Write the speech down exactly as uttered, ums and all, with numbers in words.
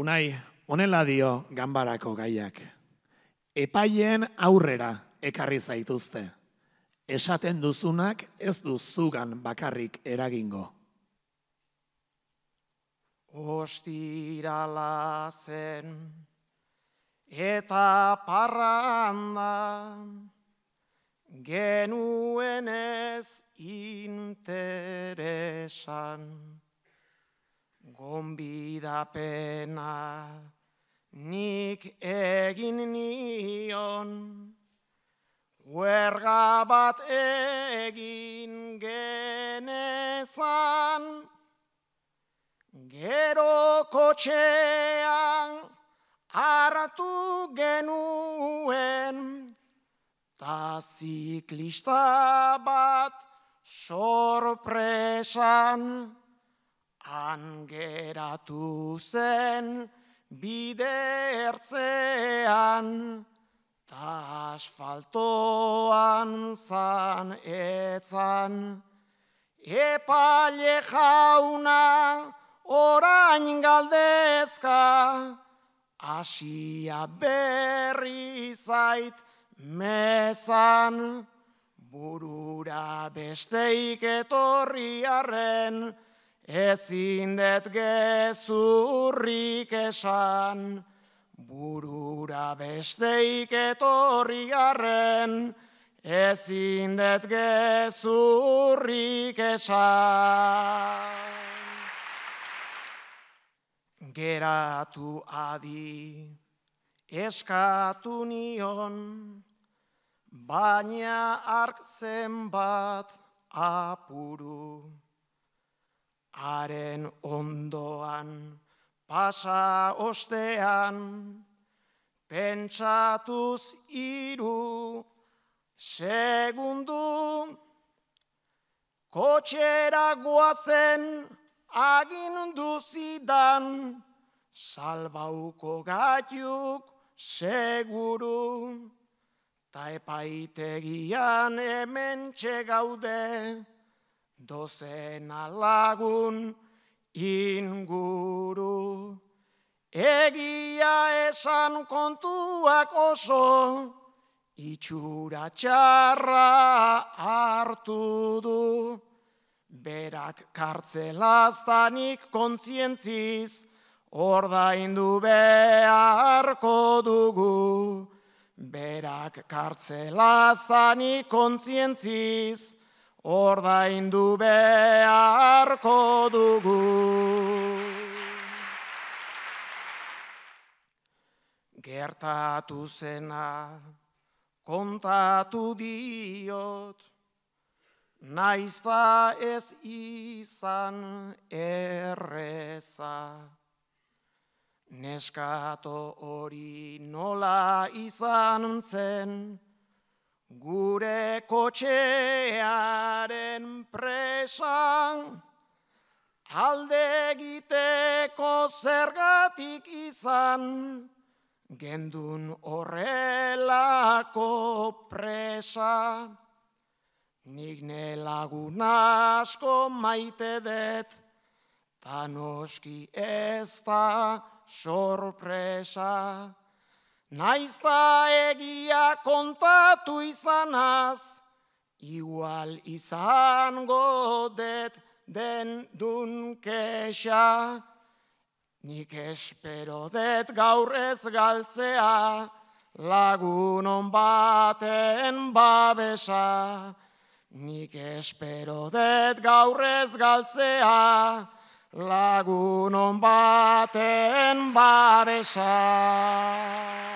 Unai, honela dio ganbarako gaiak. Epaien aurrera ekarri zaituzte. Esaten duzunak ez du zugan bakarrik eragingo. Ostirala zen eta parranda genuen ez interesan. Gonbidapena nik egin nion, huerga bat egin genezan, gero kotxean hartu genuen, ta ziklista bat sorpresan, han geratu zen bide ertzean, ta asfaltoan zan etzan. Epaile jauna orain galdezka, asia berri zait mezan, burura besteik etorri arren, ezin det gezurrik esan, burura besteik etorri arren, ezin det gezurrik esan. Geratu adi eskatu nion, baina ark zenbat apuru. Haren ondoan pasa ostean, pentsatuz hiru segundu, kotxera goazen agindu zidan, salbauko gaiuk seguru, ta epaitegian hementxe gaude, dozena lagun inguru. Egia esan kontuak oso, itxura txarra hartu du. Berak kartzelaztanik kontzientziz, ordaindu beharko dugu. Berak kartzelaztanik kontzientziz, ordaindu beharko dugu. Gertatu zena kontatu diot, naizta ez izan erreza. Neskato hori nola izan zen, gure kotxearen presan, alde egiteko zergatik izan, gendun horrelako presa. Nik ne lagun asko maite det, ta noski ez da sorpresa. Naizta egia kontatu izanaz, igual izango det den dun kexa. Nik espero det gaur ez galtzea, lagunon baten babesa. Nik espero det gaur ez galtzea, lagunon baten babesa.